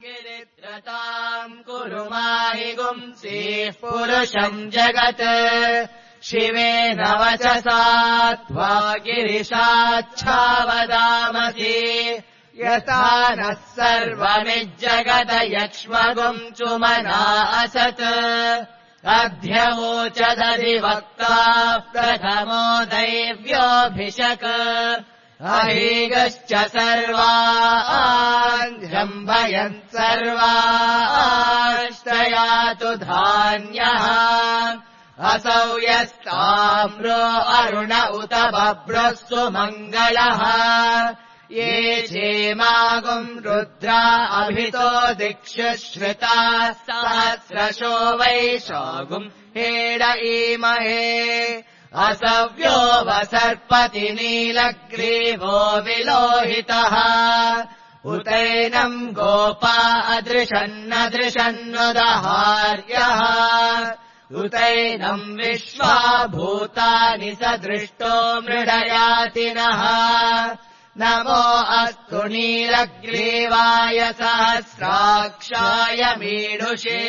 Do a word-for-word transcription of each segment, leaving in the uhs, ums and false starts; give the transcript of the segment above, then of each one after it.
गिरित्रताम् कुरु माहि गुंसीः पुरुषम् जगत् शिवेन वचसा त्वा गिरिशाच्छावदामसि यथा नः सर्वमिज्जगत यक्ष्मगुम् चुमना असत् अध्यवोचदधिवक्ता प्रथमो दैव्योऽभिषक् अहीगश्च सर्वान् जम्भयन् सर्वाश्रयातु धान्यः असौ यस्ताम्रो अरुण उत बभ्रः सुमङ्गलः ये क्षेमागुम् रुद्रा अभितो दिक्षु श्रुताः सहस्रशो वैशागुम् हेड ईमहे असव्यो वसर्पति नीलग्रीवो विलोहितः उतैनम् गोपा अदृशन्नदृशन्नुदहार्यः उतैनम् विश्वा भूतानि सदृष्टो मृडयातिनः नमो अस्तु नीलग्रीवाय सहस्राक्षाय मीढुषे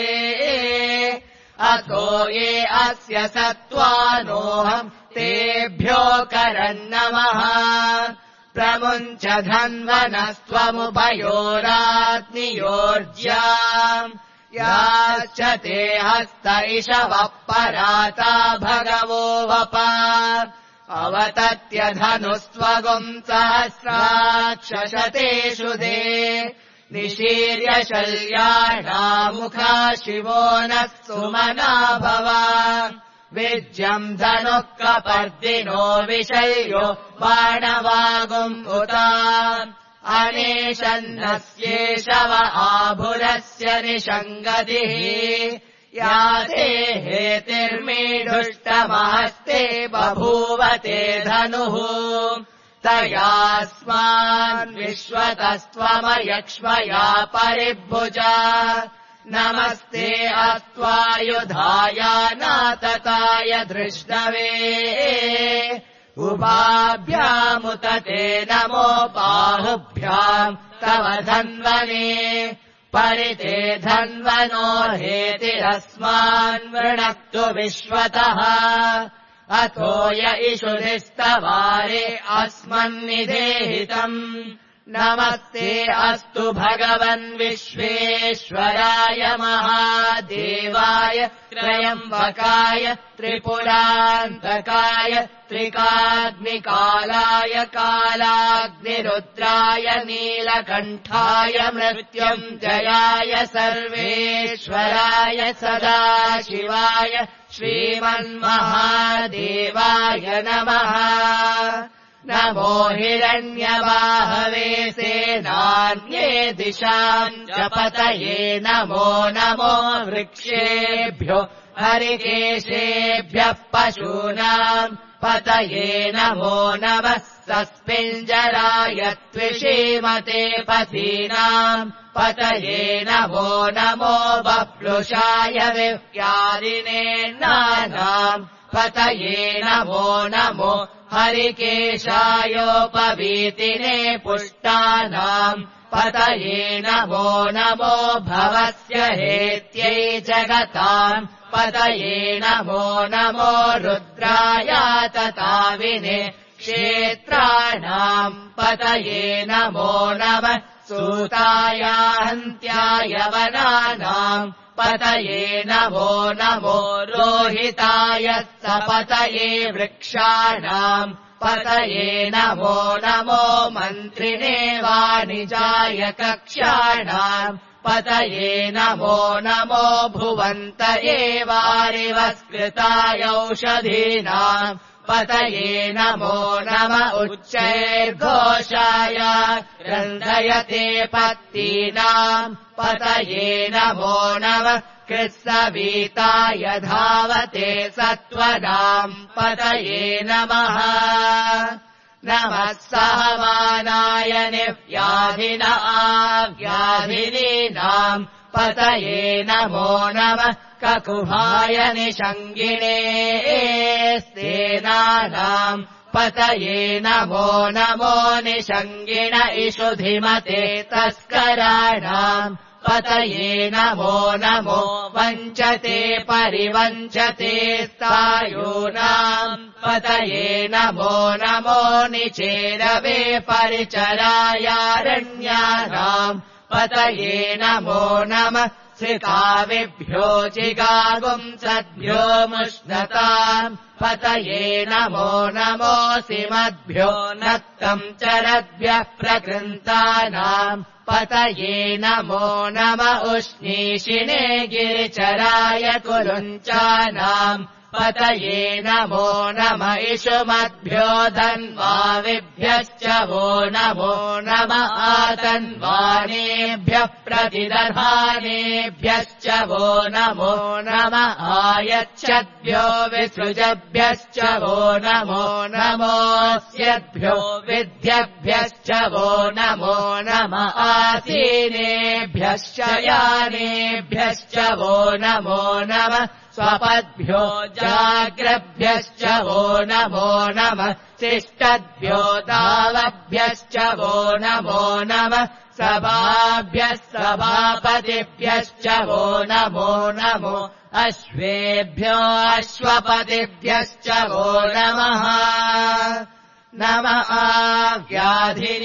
अथो ये अस्य सत्त्वानोऽहम् तेभ्यो करन्नमः प्रमुञ्च धन्वनस्त्वमुभयोरात्नियोर्ज्याम् याश्च ते हस्त इषवः पराता भगवो वप अवतत्य धनुस्त्वगुम् सहस्राक्षशतेषु दे निशीर्य शल्याणामुखा शिवो नः सुमना भव विज्यम् धनुः कपर्दिनो विशल्यो बाणवागुम् उता अनेशन्नस्येषव आभुरस्य निषङ्गतिः या ते हेतिर्मीढुष्टमहस्ते बभूवते धनुः तयास्मान् विश्वतस्त्वमयक्ष्मया परिभुजा नमस्ते अस्त्वायुधायानातताय धृष्णवे उभाभ्यामुत ते नमो बाहुभ्याम् तव धन्वने परिते धन्वनो हेतिरस्मान् वृणक्तु विश्वतः अथो य इषुधिस्तवारे अस्मन्निधेहितम् नमस्ते अस्तु भगवन् विश्वेश्वराय महादेवाय त्रयम्बकाय त्रिपुरान्तकाय त्रिकाग्निकालाय कालाग्निरुद्राय नीलकण्ठाय मृत्युञ्जयाय सर्वेश्वराय सदाशिवाय श्रीमन्महादेवाय नमः नमो हिरण्यवाहवे सेनान्ये दिशाम् च पतये नमो नमो वृक्षेभ्यो हरिकेशेभ्यः पशूनाम् पतये नमो नमः सस्मिञ्जराय त्विषीमते पथीनाम् पतये नमो नमो बप्लुषाय विव्यादिने नानाम् पतये नमो नमो हरिकेशायोपवीतिने पुष्टानाम् पतये नमो नमो भवस्य हेत्यै जगताम् पतये नमो नमो रुद्रायातताविने क्षेत्राणाम् पतये नमो नमः सूतायाहन्त्याय वनानाम् पतये नमो नमो रोहिताय सपतये वृक्षाणाम् पतये नमो नमो मन्त्रिणे वाणिजाय कक्ष्याणाम् पतये नमो नमो भुवन्त एवारिवस्कृताय औषधीनाम् पतये नमो नम उच्चैर्घोषाय रन्धयते पत्तीनाम् पतये नमो नमः कृत्सवीताय धावते सत्त्वनाम् पतये नमः नमः सहमानाय निव्याधिन आव्याधिनीनाम् पतये नमो नमः ककुभाय निषङ्गिणे स्तेनानाम् पतये नमो नमो निषङ्गिण इषुधिमते तस्कराणाम् पतये नमो नमो वञ्चते परिवञ्चते स्थायूनाम् पतये नमो नमो निचेरवे परिचरायारण्यानाम् पतये नमो नमः श्रिकाविभ्यो जिगागुंसद्भ्यो मुष्णताम् पतये नमो नमोऽसिमद्भ्यो नक्तम् चरद्भ्यः प्रकृन्तानाम् पतये नमो नम उष्णीषिणे गिरिचराय कुरुञ्चानाम् पतये नमो नम इषुमद्भ्यो धन्वाविभ्यश्च वो नमो नम आतन्वानेभ्यः प्रतिदधानेभ्यश्च वो नमो नम आयच्छद्भ्यो विसृजभ्यश्च वो नमो नमोऽस्यद्भ्यो विद्यभ्यश्च वो नमो नम आसीनेभ्यश्च यानेभ्यश्च वो नमो नम स्वपद्भ्यो जाग्रभ्यश्च वो नमो नमः शिष्टद्भ्यो दावभ्यश्च वो नमो नमः सभाभ्यः सभापतिभ्यश्च वो नमो नमो अश्वेभ्यो अश्वपतिभ्यश्च वो नमः नमः व्याधिनीभ्यो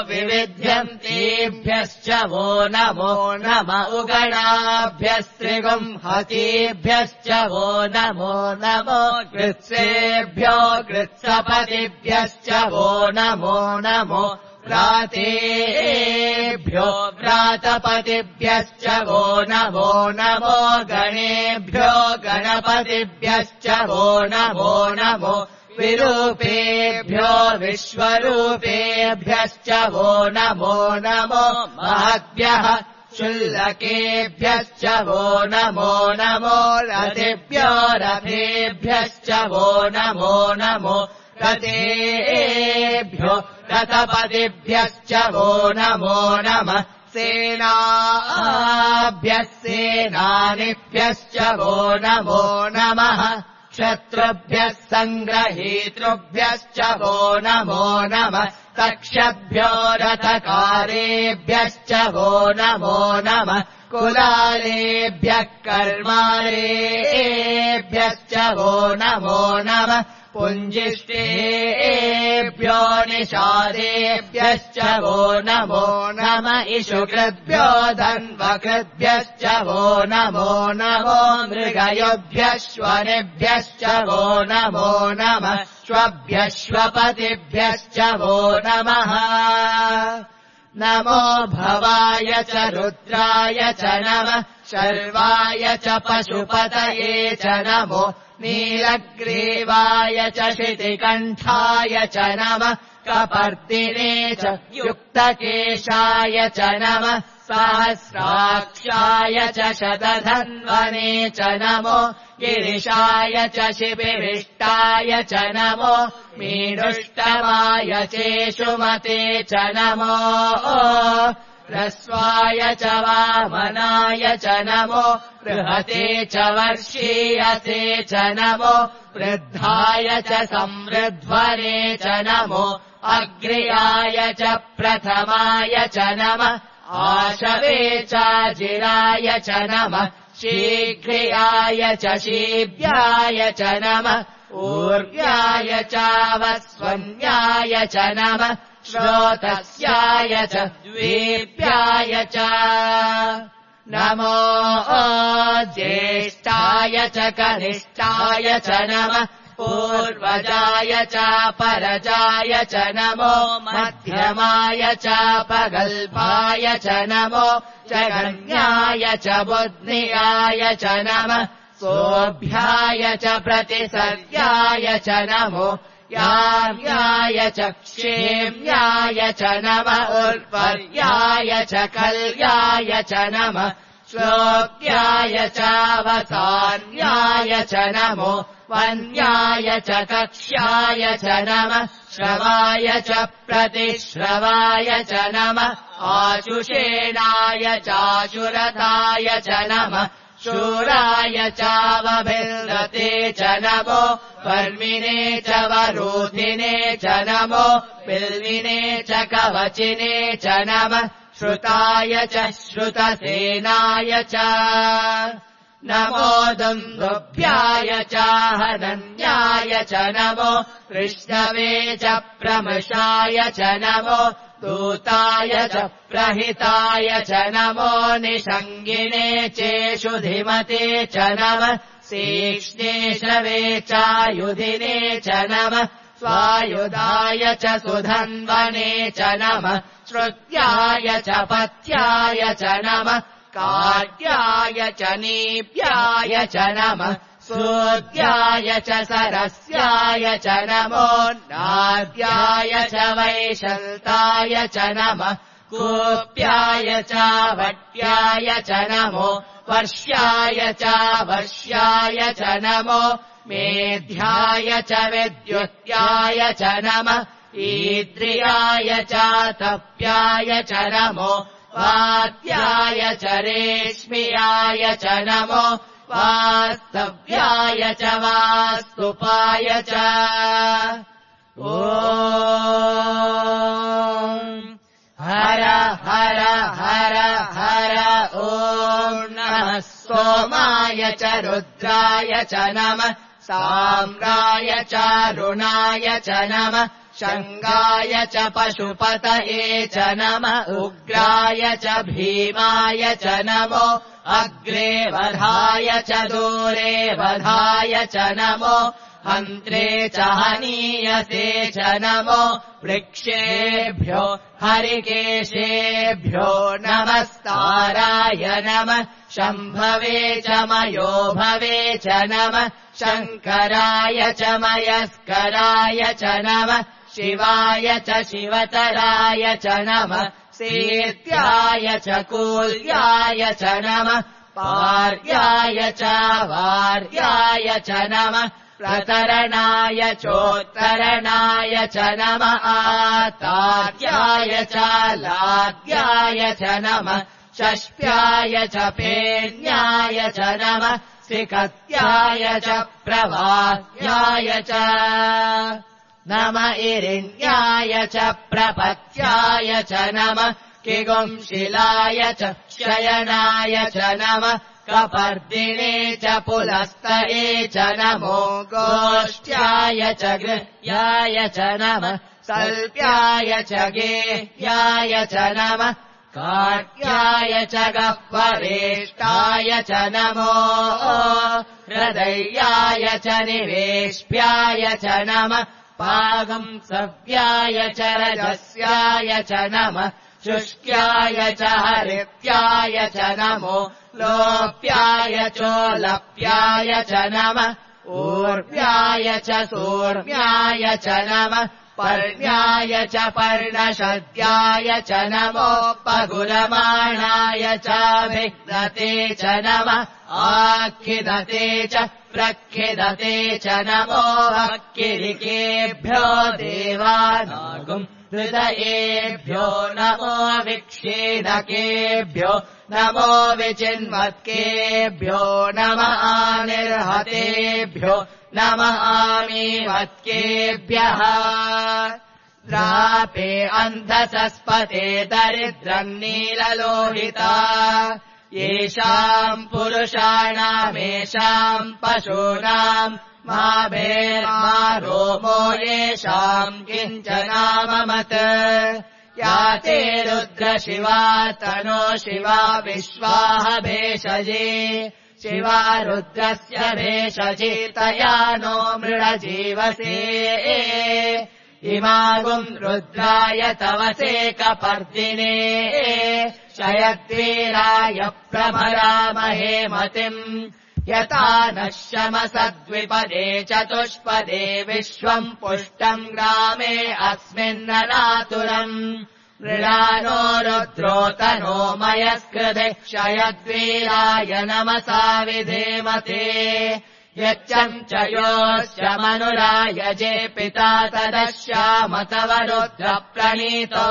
विविध्यन्तेभ्यश्च वो नमो नम उगणाभ्यस्त्रिगुंहतीभ्यश्च वो नमो नमो कृत्सेभ्यो कृत्सपतिभ्यश्च वो नमो नमो व्रातेभ्यो व्रातपतिभ्यश्च वो नमो नमो गणेभ्यो गणपतिभ्यश्च वो नमो नमो विरूपेभ्यो विश्वरूपेभ्यश्च वो नमो नमो महद्भ्यः शुल्लकेभ्यश्च वो नमो नमो रथेभ्यो रथेभ्यश्च वो नमो नमो रथेभ्यो रथपतिभ्यश्च वो नमो नमः सेनाभ्यः सेनानिभ्यश्च वो नमो नमः शत्रुभ्यः सङ्ग्रहीतृभ्यश्च वो नमो नमः तक्षभ्यो रथकारेभ्यश्च वो नमो नमः कुलालेभ्यः कर्मारेभ्यश्च वो नमो नमः पुञ्जिष्टेभ्यो निषादेभ्यश्च वो नमो नम इषुकृद्भ्यो धन्वकृद्भ्यश्च वो नमो नमो मृगयोभ्यश्वनेभ्यश्च वो नमो नमः श्वभ्यश्वपतिभ्यश्च वो नमः नमो भवाय च रुद्राय च नमः शर्वाय च पशुपतये च नमो नीलग्रीवाय च शितिकण्ठाय च नमः कपर्दिने च युक्तकेशाय च नमः सहस्राक्षाय च शतधन्वने च नमो गिरिशाय च शिबिरिष्टाय च नमो मीडुष्टमाय चेषुमते च नमो ह्रस्वाय च वामनाय च नमो बृहते च वर्षीयसे च नमो वृद्धाय च संवृध्वने च नमो अग्र्याय च प्रथमाय च नमः आशवे चाजिराय च नमः शीघ्रियाय च शीभ्याय च नमः ऊर्व्याय चावस्वन्याय च नमः श्रोतस्याय च द्वेभ्याय च नमो ज्येष्ठाय च कनिष्ठाय च नमः पूर्वजाय चापरजाय च नमो मध्यमाय चापगल्भाय च नमो जगन्याय च बुद्ध्याय च नमः सोऽभ्याय च प्रतिसर्याय च नमो याम्याय च क्षेम्याय च नमः उर्वर्याय च कल्याय च नमः श्लोक्याय चावसान्याय च नमो वन्याय च कक्ष्याय च नमः श्रवाय च प्रतिश्रवाय च नमः आशुषेणाय चाशुरथाय च नमः शूराय चावभिर्दते च नमो वर्मिणे च वरूधिने च नमो बिल्विने च कवचिने च नमः श्रुताय च श्रुतसेनाय च नमो दुन्दुभ्याय चाहनन्याय च नमो कृष्णवे च प्रमृषाय च नमो दूताय च प्रहिताय च नमो निषङ्गिने चेषुधिमते च नमः तीक्ष्णेशवे चायुधिने च नमः स्वायुधाय च सुधन्वने च नमः श्रुत्याय च पथ्याय च नमः कार्याय च नीप्याय च नमः सूद्याय च सरस्याय च नमो नाद्याय च वैशल्ताय च नमः कूप्याय च वट्याय च नमो वर्ष्याय च वर्ष्याय च नमो मेध्याय च विद्युत्याय च नमः ईद्रियाय च तप्याय च नमो वात्याय च रेश्मियाय च नमो वास्तव्याय च वास्तुपाय च ॐ हर हर हर हर ॐ नमः सोमाय च रुद्राय च नमः साम्राय च रुणाय च नमः शङ्गाय च पशुपतये च नमः उग्राय च भीमाय च नमो अग्रे वधाय च दूरे वधाय च नमो हन्त्रे च हनीयसे च नमो वृक्षेभ्यो हरिकेशेभ्यो नमस्ताराय नमः शम्भवे च मयोभवे च नमः शङ्कराय च मयस्कराय च नमः शिवाय च शिवतराय च नमः सेत्याय च कूल्याय च नमः पार्याय च वार्याय च नमः प्रतरणाय चोत्तरणाय च नमः आतार्याय च लाद्याय च नमः षष्ठ्याय च पेन्याय च नमः सिकत्याय च प्रवाह्याय च नम इरिण्याय च प्रपत्याय च नमः किगुंशिलाय च शयनाय च नमः कपर्दिने च पुलस्तये च नमो गोष्ठ्याय च गृह्याय च नमः सल्प्याय च गेह्याय च नमः काट्याय च गह्वरेष्टाय च नमो हृदयाय च निवेश्याय च नमः पागंसव्याय च रजस्याय च नमः शुष्क्याय च हरित्याय च नमो लोप्याय चोलप्याय च नमः ऊर्व्याय च सूर्व्याय च नमः पर्ण्याय च पर्णशद्याय च नमो पगुलमाणाय चाभिदते च नमः आखिदते च प्रखिदते च नमो अक्किरिकेभ्यो देवानागुम् हृदयेभ्यो नमो विक्षेदकेभ्यो नमो विचिन्मत्केभ्यो नमः आनिर्हतेभ्यो नमः आमीमत्केभ्यः द्रापे अन्धसस्पते दरिद्रम् नीललोहिता येषाम् पुरुषाणामेषाम् पशूनाम् मा भेर्मा रोमो येषाम् किञ्चनाममत् या ते रुद्रशिवा तनो शिवा विश्वाः भेषजे शिवा रुद्रस्य भेषजितया नो मृळजीवसे इमागुम् रुद्राय तवसे कपर्दिने शयद्वीराय प्रभरामहे मतिम् यथा नः शमसद्विपदे चतुष्पदे विश्वम् पुष्टम् ग्रामे अस्मिन्ननातुरम् मृळानो रुद्रोतनो मयस्कृते क्षयद्वीराय नमसा विधेमते यच्चम् च योश्च मनुरायजे पिता तदश्याम तव रुद्रप्रणीतौ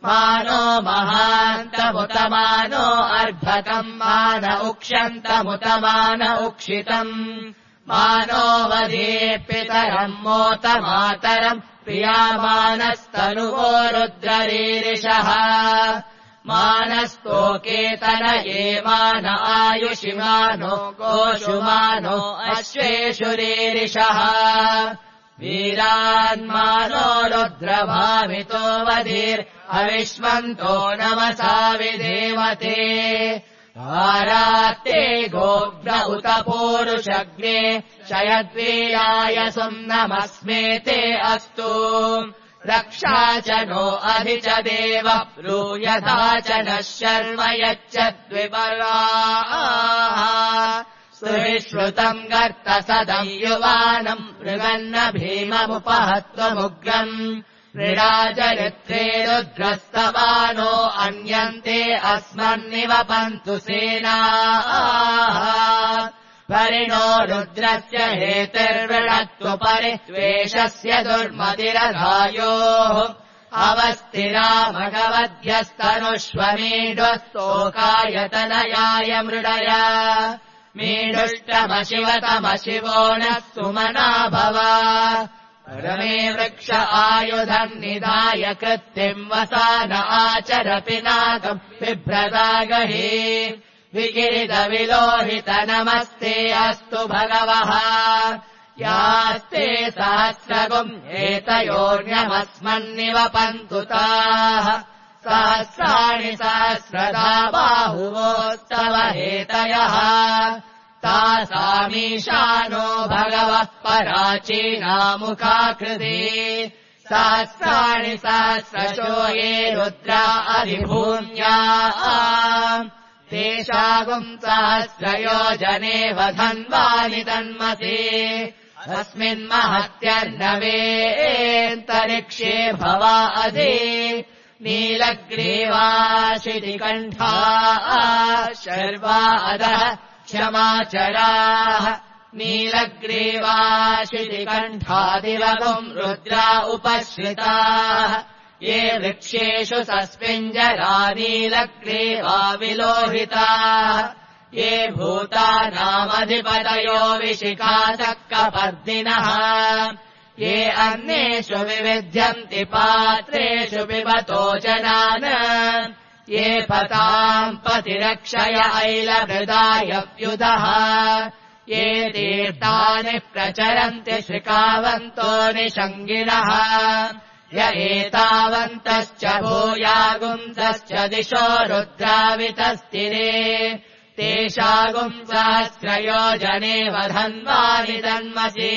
मानो महान्तमुतमानो अर्भकम् मान उक्ष्यन्तमुतमान उक्षितम् मानो वधीर्पितरम् मोतमातरम् प्रियामानस्तनुवो रुद्ररीरिषः मानस्तोकेतनये मान आयुषिमानो गोषुमानो अश्वेषुरीरिषः वीरान्मानो रुद्रभावितो वधीर्हविष्मन्तो नमसा विधेमते आरात्ते गोभ्र उत पूरुषग्ने शयद्वीराय सुम्नमस्मेते अस्तु रक्षा च नो अधि च देव ब्रूयथा च नः शर्म यच्चद्विपराः सुविश्रुतम् गर्त सदम् युवानम् मृगन्न भीममुपहत्वमुग्रम् मृडाचरित्रे रुद्रस्तवानो अन्यन्ते अस्मन्निवपन्तु सेनाः परिणो रुद्रस्य हेतिर्वृणत्वु परित्वेषस्य दुर्मतिरधायोः अवस्थिरा मघवद्यस्तनुष्वमीढ्वस्तोकायतनयाय मृडय मीढुष्टमशिवतमशिवो नः सुमना भव रमे वृक्ष आयुधम् निधाय कृत्तिम् वसान आचर पिनाकम् बिभ्रदागहि विगिरितविलोहित नमस्ते अस्तु भगवः यास्ते सहस्रगुम् एतयोर्यमस्मन्निवपन्तु ताः सहस्राणि सहस्रदा बाहुवोस्तव हेतयः तासामीशानो भगवः पराचीनामुखाकृति सहस्राणि सहस्रशो ये रुद्रा अधिभूम्या तेषागुम् सहस्रयोजने वधन्वानि तन्मसि अस्मिन्महत्यर्णवेऽन्तरिक्षे भवा अधि नीलग्रीवाशितिकण्ठा शर्वा अधः क्षमाचराः नीलग्रीवाशितिकण्ठादिवगुम् रुद्रा उपश्रिताः ये वृक्षेषु सस्मिञ्जरा नीलग्रीवा विलोहिताः ये भूतानामधिपतयो विशिखासक्कपर्दिनः ये अन्येषु विविध्यन्ति पात्रेषु पिबतो जनान् ये पताम् पतिरक्षय ऐलभृदाय व्युधः ये तीर्थानि प्रचरन्ति श्रिकावन्तो निषङ्गिणः य एतावन्तश्च भूयागुंसश्च दिशो रुद्रावितस्तिरे तेषागुम् सहस्रयोजने वधन्वानि तन्मसि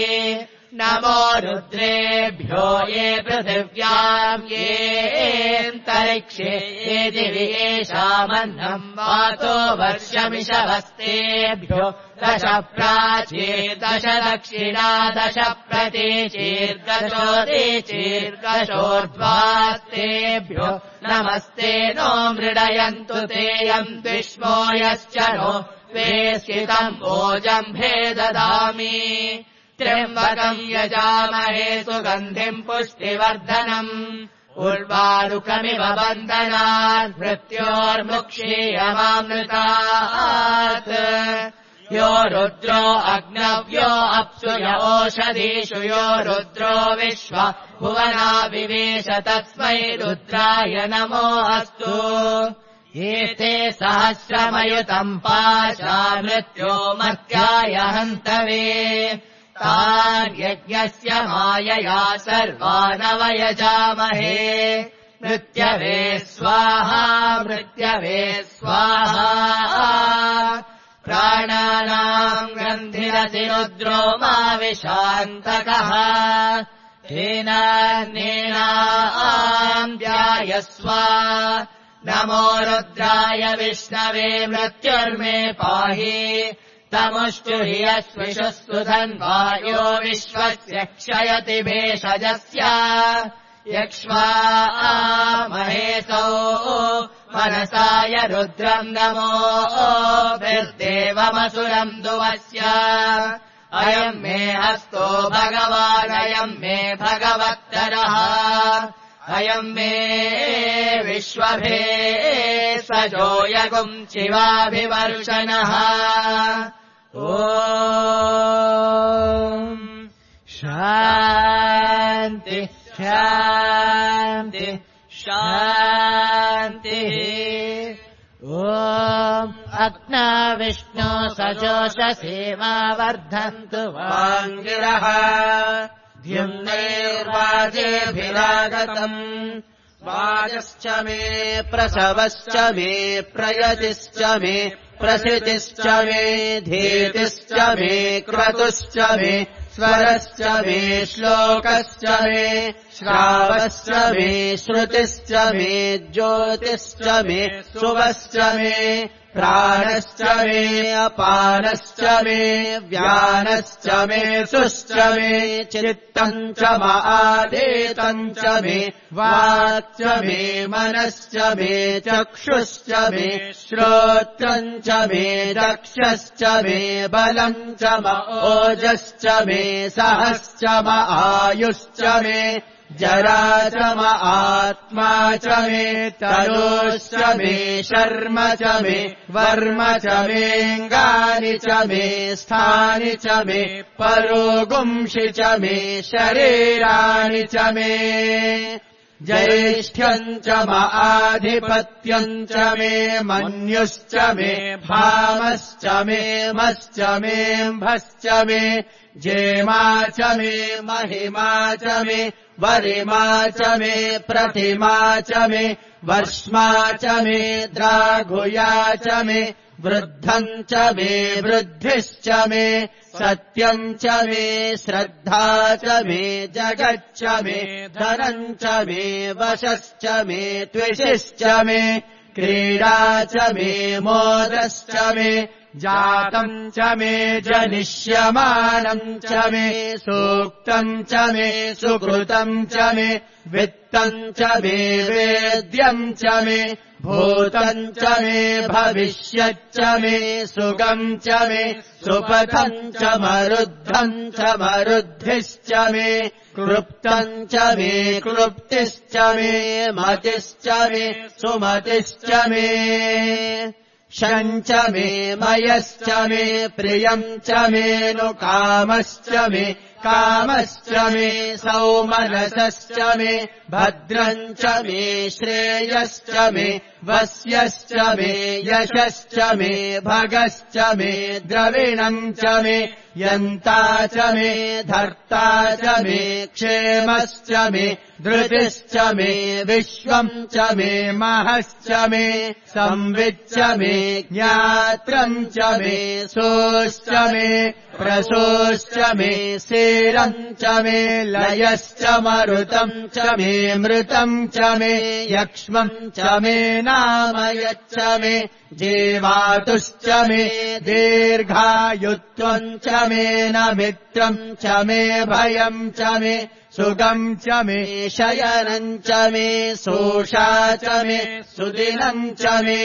नमो रुद्रेभ्यो ये पृथिव्याम् येऽन्तरिक्षे ये दिवि येषामन्नम् वातो वर्षमिषवस्तेभ्यो दश प्राची दश दक्षिणा दश प्रतीचीर्गशो दीचीर्गशोर्ध्वास्तेभ्यो नमस्ते नो मृडयन्तु तेयम् द्विष्मो यश्च नो वेस्कितम् ओजम्भे ददामि त्र्यम्बकम् यजामहे सुगन्धिम् पुष्टिवर्धनम् उर्वारुकमिव बन्धनात् मृत्योर्मुक्षीयमामृतात् यो रुद्रो अग्नव्यो अप्सु य ओषधीषु यो रुद्रो विश्व भुवना विवेश तस्मै रुद्राय नमो अस्तु एते सहस्रमयुतम् पाशा मृत्यो मर्त्याय हन्तवे तार्यज्ञस्य मायया सर्वानवयजामहे मृत्यवे स्वाहा मृत्यवे स्वाहा प्राणानाम् ग्रन्थिरसि रुद्रो मा विशान्तकः तेनान्येनाम् ध्यायस्व नमो रुद्राय विष्णवे मृत्युर्मे पाहि तमुष्टु हि यस्विषुस्तु धन्वायो विश्वस्य क्षयति भेषजस्य यक्ष्वा महेशो मनसाय रुद्रम् नमो भिर्देवमसुरम् दुवस्य अयम् मे हस्तो भगवानयम् मे भगवत्तरः अयम् मे विश्वभे सजोयगुम् शिवाभिवर्षणः ॐ शान्ति शान्ति शान्तिः ॐ अग्ना विष्णो सजोषसेवा वर्धन्तु वाङ्गिरः द्युम्नैर्वाजेभिरागतम् वाजश्च मे प्रसवश्च मे प्रयतिश्च मे प्रसितिश्च मे धीतिश्च मे क्रतुश्च मे स्वरश्च मे श्लोकश्च मे श्रावश्च मे श्रुतिश्च मे ज्योतिश्च मे सुवश्च मे प्राणश्च मे अपानश्च मे व्यानश्च मे सुश्च मे चित्तम् च महादेतम् च मे वाक्च मे मनश्च मे चक्षुश्च मे श्रोत्रम् च मे दक्षश्च मे बलम् च ओजश्च मे सहश्च आयुश्च मे जरा च आत्मा च मे तनोश्च मे शर्म च मे वर्म च मेऽङ्गानि च मे स्थानि च मे परोगुंषि च मे शरीराणि च मे ज्येष्ठ्यम् च आधिपत्यम् च मे मन्युश्च मे भामश्च मे मश्च मेऽम्भश्च मे जेमा च मे महिमा च मे वरिमा च मे प्रतिमा च मे वर्ष्मा च मे द्राघुया च मे वृद्धम् च मे वृद्धिश्च मे सत्यम् च मे श्रद्धा च मे जगच्च मे धनम् च मे वशश्च मे त्विषिश्च मे क्रीडा च मे मोदश्च मे जातम् च मे जनिष्यमानम् च मे सूक्तम् च मे सुकृतम् च मे वित्तम् च मे वेद्यम् च मे भूतम् च मे भविष्यच्च मे सुगम् च मे सुपथम् च मरुद्धम् च मरुद्धिश्च मे क्लृप्तम् च मे क्लृप्तिश्च मे मतिश्च मे सुमतिश्च मे शञ्च मे मयश्च मे प्रियम् च मे नु कामश्च मे कामश्च मे सौमनसश्च मे भद्रम् च मे श्रेयश्च मे वस्यश्च मे यशश्च मे भगश्च मे द्रविणम् च मे यन्ता च मे धर्ता च मे क्षेमश्च मे धृतिश्च मे विश्वम् च मे महश्च मे संविच्च मे ज्ञात्रम् च मे सोश्च मे प्रसोश्च मे सेरम् च मे लयश्च मरुतम् च मे मृतम् च मे यक्ष्मम् च मे नामयच्च मे जीवातुश्च मे दीर्घायुत्वम् च मे न मित्रम् च मे भयम् च मे सुगम् च मे शयनम् च मे सोषा च मे सुदिनम् च मे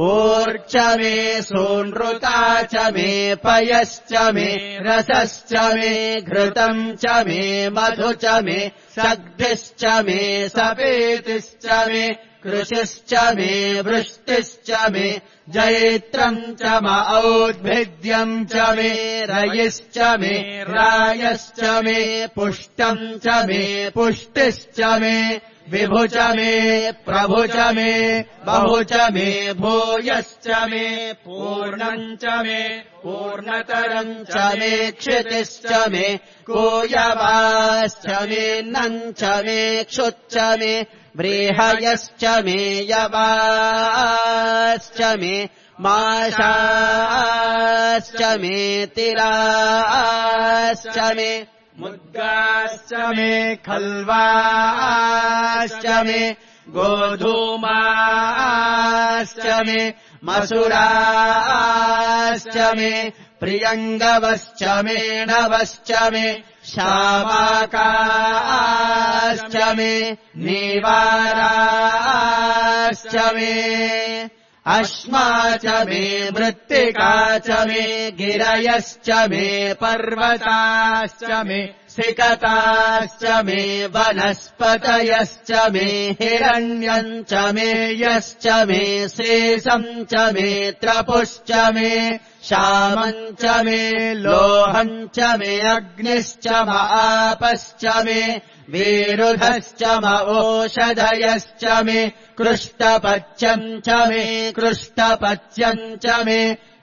ऊर्च मे सोनृता च मे पयश्च मे रसश्च मे घृतम् च मे मधु च मे सग्धिश्च मे सपेतिश्च मे कृशिश्च मे वृष्टिश्च मे जैत्रम् च औद्भिद्यम् च मे रयिश्च मे रायश्च मे पुष्टम् च मे पुष्टिश्च मे विभु च मे प्रभु च मे बहु च मे भूयश्च मे पूर्णम् च मे पूर्णतरम् च मे क्षितिश्च मे कूयवाश्च मे नम् च मे क्षुच्च मे व्रीहयश्च मे यवाश्च मे माशाश्च मे तिराश्च मे मुद्गाश्च मे खल्वाश्च मे गोधूमाश्च मे मसुराश्च मे प्रियङ्गवश्च मे नवश्च मे शामाकाश्च मे नीवाराश्च मे अश्मा च मे मृत्तिका च मे गिरयश्च मे पर्वताश्च मे सिकताश्च मे वनस्पतयश्च मे हिरण्यम् च मे यश्च मे शेषम् च मे त्रपुश्च मे श्यामम् च मे लोहम् च मे अग्निश्च म आपश्च मे विरुधश्च म ओषधयश्च मे कृष्टपच्यम् च मे कृष्टपच्यम् च मे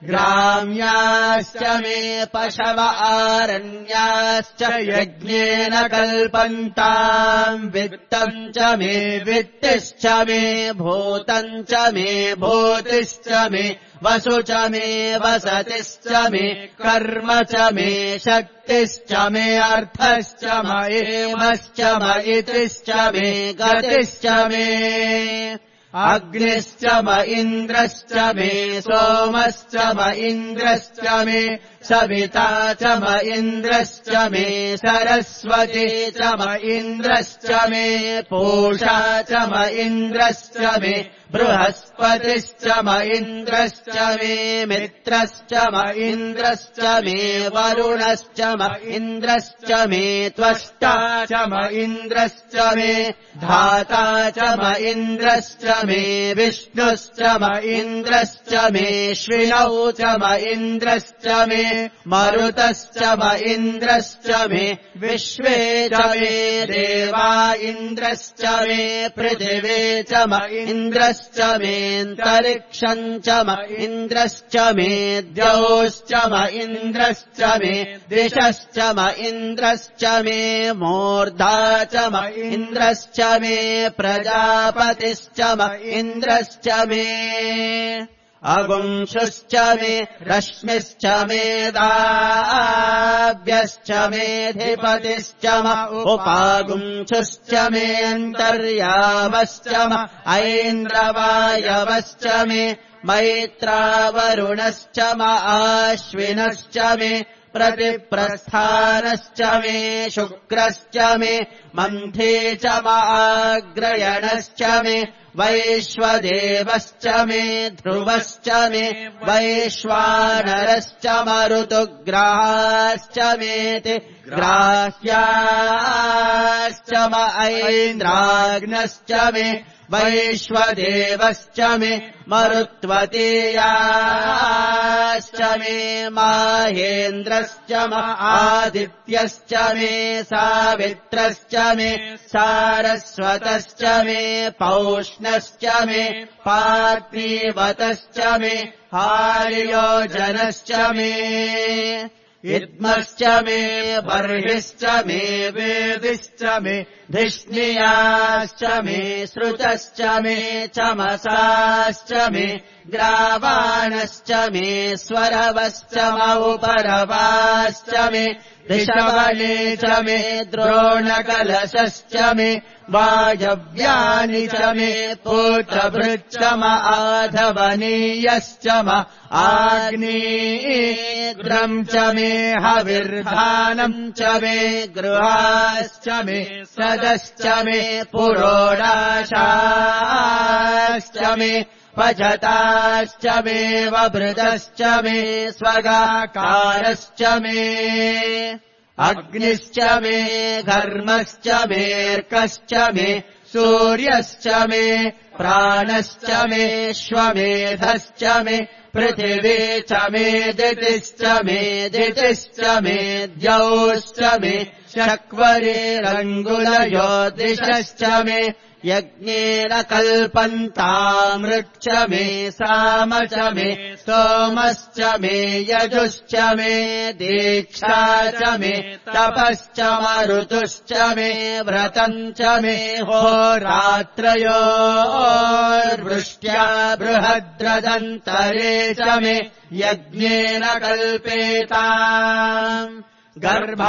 ग्राम्याश्च मे पशव आरण्याश्च यज्ञेन कल्पन्ताम् वित्तम् च मे वित्तिश्च मे भूतम् च मे भूतिश्च मे वसु च मे वसतिश्च मे कर्म च मे शक्तिश्च मे अर्थश्च म एमश्च म इतिश्च मे गतिश्च मे अग्निश्च म इन्द्रश्च मे सोमश्च म इन्द्रश्च मे सविता च म इन्द्रश्च मे सरस्वती च म इन्द्रश्च मे पूषा च म इन्द्रश्च मे बृहस्पतिश्च म इन्द्रश्च मे मित्रश्च म इन्द्रश्च मे वरुणश्च म इन्द्रश्च मे त्वष्टा च म इन्द्रश्च मे धाता च म इन्द्रश्च मे विष्णुश्च म इन्द्रश्च मे श्विनौ च म इन्द्रश्च मे मरुतश्च म इन्द्रश्च मे विश्वे च मे देवा इन्द्रश्च मे पृथिवे च म इन्द्रश्च मेऽन्तरिक्षम् च म इन्द्रश्च मे द्यौश्च म इन्द्रश्च मे दिशश्च म इन्द्रश्च मे मूर्धा च म इन्द्रश्च मे प्रजापतिश्च म इन्द्रश्च मे अगुंशुश्च मे रश्मिश्च मे दाव्यश्च मेऽधिपतिश्च म उपागुंशुश्च मेऽन्तर्यामश्च म ऐन्द्रवायवश्च मे मैत्रावरुणश्च म आश्विनश्च मे प्रतिप्रस्थानश्च मे शुक्रश्च मे मन्थे च म आग्रयणश्च मे वैश्वदेवश्च मे ध्रुवश्च मे वैश्वानरश्च म ऋतुग्राश्च मेति ग्राह्याश्च म ऐन्द्राग्नश्च मे वैश्वदेवश्च मे मरुत्वतीयाश्च मे माहेन्द्रश्च म आदित्यश्च मे सावित्रश्च मे सारस्वतश्च मे पौष्णश्च मे पार्थिवतश्च मे हार्योजनश्च मे इद्मश्च मे बर्हिश्च मे वेदिश्च मे धिष्णियाश्च मे श्रुतश्च मे चमसाश्च मे ग्रावाणश्च मे स्वरवश्च म उपरवाश्च मे ऋषवणे च मे द्रोणकलशश्च मे वायव्यानि च मे पूत्रभृच्च म आधवनीयश्च म आग्नेयम् च मे हविर्धानम् च मे गृहाश्च मे सदश्च मे पुरोडाशाश्च मे पचताश्च मे वभृतश्च मे स्वगाकारश्च मे अग्निश्च मे घर्मश्च मेऽर्कश्च मे सूर्यश्च मे प्राणश्च मे श्वमेधश्च मे पृथिवी च मे दितिश्च मे दितिश्च मे द्यौश्च मे शक्वरेरङ्गुलयोदिशश्च मे यज्ञेन कल्पन्तामृक्ष मे साम च मे सोमश्च मे यजुश्च मे दीक्षा च मे तपश्च मरुतुश्च मे व्रतम् च मे होरात्रयोर्वृष्ट्या बृहद्रदन्तरे च मे यज्ञेन कल्पेताम् गर्भाश्च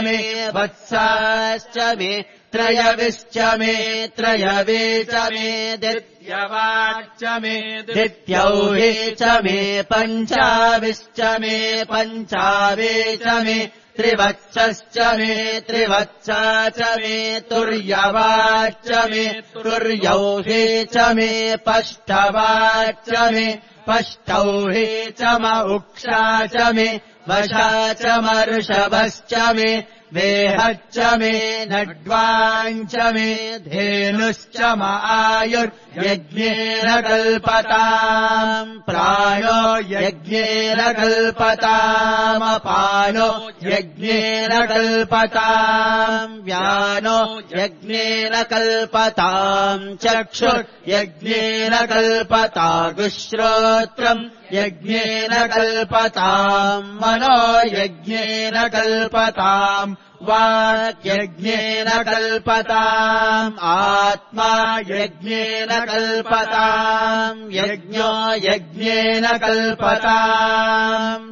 मे वत्साश्च मे त्रयविश्च मे त्रयवे च मे दित्यवाच्च मे दित्यौहे च मे पञ्चाविश्च मे पञ्चावे च मे त्रिवत्सश्च मे त्रिवत्सा च मे तुर्यवाच्च मे तुर्यौहे च मे पष्टवाच्च मे पष्टौहे च म उक्षा च मे वशा च मर्षभश्च मे वेहच्च मे नड्वाञ्च मे धेनुश्च म आयुर्यज्ञेन कल्पताम् प्राणो यज्ञेन कल्पतामपानो यज्ञेन कल्पताम् व्यानो यज्ञेन कल्पताम् चक्षुर्यज्ञेन कल्पतागुश्रोत्रम् यज्ञेन कल्पताम् मनो यज्ञेन कल्पताम् वाक्यज्ञेन कल्पताम् आत्मा यज्ञेन कल्पताम् यज्ञो यज्ञेन कल्पताम्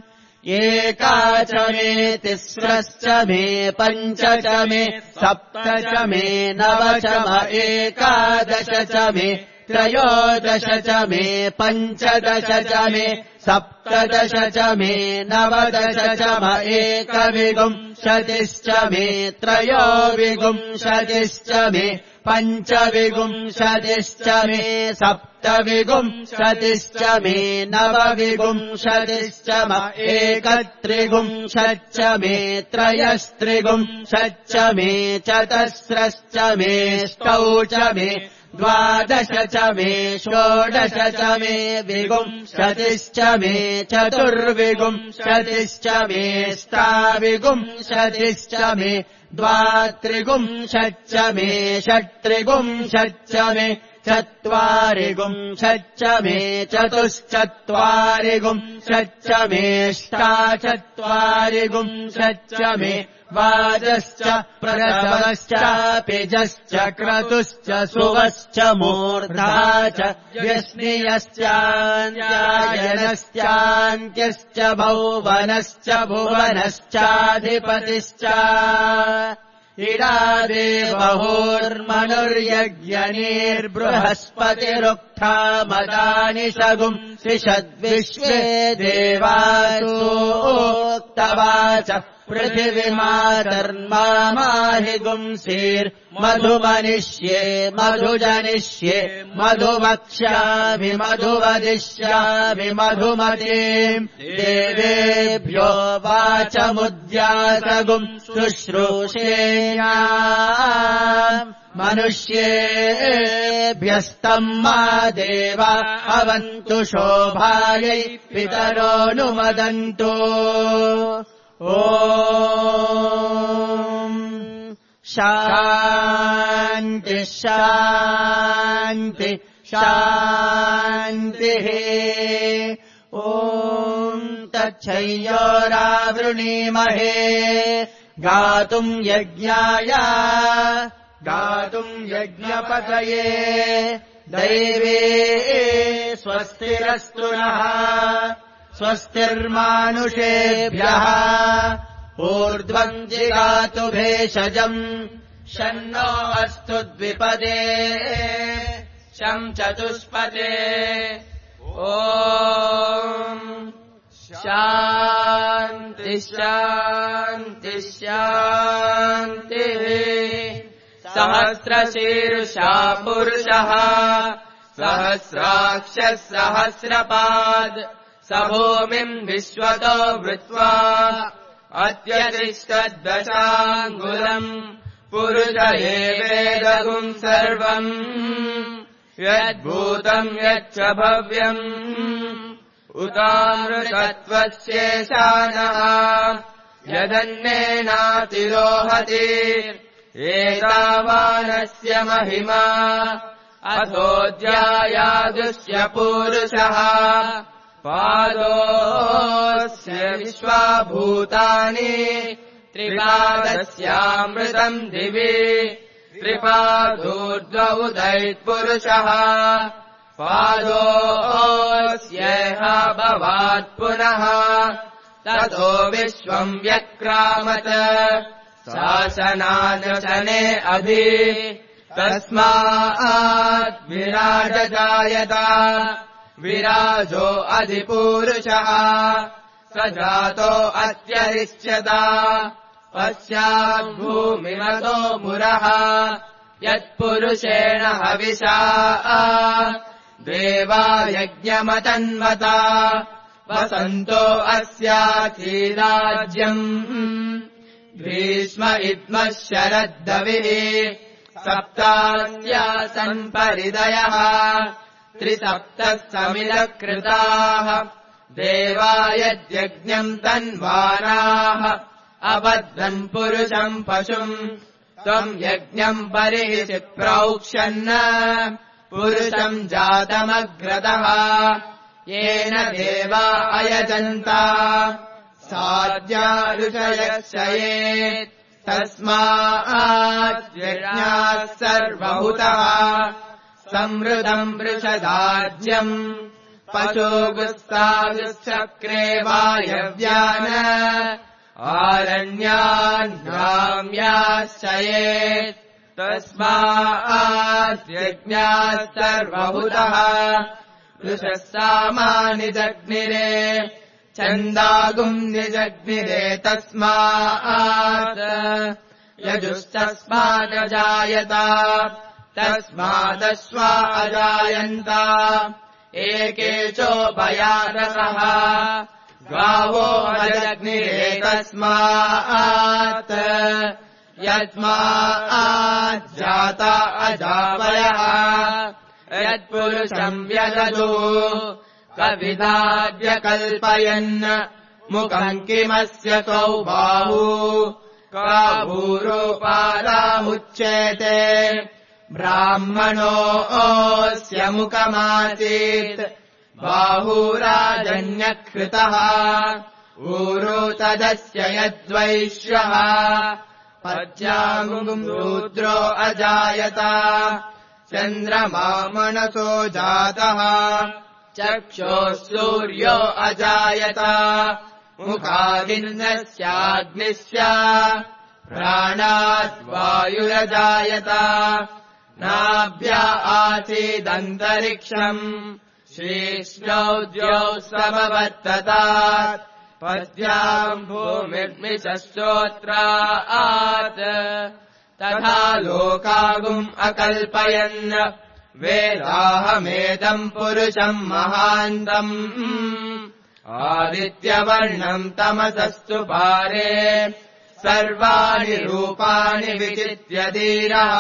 एका च मे तिस्रश्च मे पञ्च च मे सप्त च मे नव च म एकादश च मे त्रयोदश च मे पञ्चदश च मे सप्तदश च मे नवदश च म एकविंशतिश्च मे त्रयोविंशतिश्च मे पञ्चविंशतिश्च मे सप्तविंशतिश्च मे नवविंशतिश्च म एकत्रिंशच्च मे त्रयस्त्रिंशच्च मे चतस्रश्च मे ष्टौ च मे द्वादश च मे षोडश च मे विंशतिश्च मे चतुर्विंशतिश्च मे ष्टाविंशतिश्च मे द्वात्रिंशच्च मे षट्त्रिंशच्च मे चत्वारिंशच्च मे चतुश्चत्वारिंशच्च मे ष्टाचत्वारिंशच्च मे वाजश्च प्रसवश्च पिजश्च क्रतुश्च सुवश्च मूर्धा च व्यश्नियश्चान्यायनश्चान्त्यश्च भौवनश्च भुवनश्चाधिपतिश्च इडादेवहोर्मनुर्यज्ञनीर्बृहस्पतिरुक्था मदानि शगुम् त्रिषद्विश्वे देवासोक्तवाच पृथिवीमातर्माहि गुंसीर्मधुमनिष्ये मधुजनिष्ये मधुवक्ष्यामि मधुवदिष्यामि मधुमतीम् देवेभ्यो वाचमुद्यासगुम् शुश्रूषेयाम् मनुष्येभ्यस्तम् मा देवा अवन्तु शोभायै पितरोऽनुमदन्तु ॐ शान्ति शान्ति शान्तिः ॐ तच्छय्योरावृणीमहे गातुम् यज्ञाय गातुम् यज्ञपतये दैवे स्वस्तिरस्तु नः स्वस्तिर्मानुषेभ्यः ऊर्ध्वम् जिगातु भेषजम् शन्नो अस्तु द्विपदे शम् चतुष्पदे ॐ शान्ति शान्ति शान्तिः सहस्रशीर्षा पुरुषः सहस्राक्षः सहस्रपाद स भूमिम् विश्वतो वृत्वा अत्यतिष्ठद्दशाङ्गुलम् पुरुष एवेदगुम् सर्वम् यद्भूतम् यच्च भव्यम् उतामृतत्वस्येषानः यदन्नेनातिरोहति एतावानस्य महिमा अथोऽध्यायादुष्य पूरुषः पादोऽस्य विश्वाभूतानि त्रिपादस्यामृतम् दिवि त्रिपादोर्ध्व उदैत्पुरुषः पादोऽस्येह भवात् पुनः ततो विश्वम् व्यक्रामत शासनानशने अभि तस्मात् विराजजायत विराजो अधिपूरुषः स जातो अत्यरिच्यता पश्चात् भूमिमतो मुरः यत्पुरुषेण हविषा देवा यज्ञमतन्वता वसन्तो अस्यासीराज्यम् ग्रीष्म इद्मः शरद्दविः सप्तास्यासन् परिदयः त्रिसप्तः समिलकृताः देवा यद्यज्ञम् तन्वानाः अबद्धन् पुरुषम् पशुम् त्वम् यज्ञम् परिहि प्रोक्ष्यन् पुरुषम् जातमग्रतः येन देवा अयजन्ता साध्या ऋषयश्चयेत् तस्माद्यज्ञात् सर्वभूतः संवृतम् वृषदाज्यम् पशोगुस्तागुश्चक्रे वायव्यान् आरण्यान्ग्राम्याश्चयेत् तस्माद्यज्ञात् सर्वभूतः वृषः सामानि जग्निरे छन्दागुम् निजग्निरे तस्मात् यजुस्तस्मादजायता तस्मादश्वा अजायन्ता एके चोभयादसः गावो अजग्निरे तस्मात् यस्माज्जाता अजावयः यत्पुरुषम् व्यदधो कविदाद्य कल्पयन् मुखम् किमस्य कौ बाहू काभूरोपादामुच्येते ब्राह्मणोऽस्य मुखमासीत् बाहूराजन्यकृतः ऊरो तदस्य यद्वैश्यः पद्यामुम् रुद्रो अजायता चन्द्रमा मनसो जातः चक्षोः सूर्यो अजायता मुखादिन्द्रस्याग्निश्च प्राणात् वायुरजायता नाभ्या आसीदन्तरिक्षम् शीर्ष्णौ द्यौ समवर्ततात् पद्याम् भूमिर्मिषश्चोत्रात् तथा लोकागुम् अकल्पयन् वेदाहमेदम् पुरुषम् महान्तम् आदित्यवर्णम् तमसस्तु पारे सर्वाणि रूपाणि विचित्य धीरः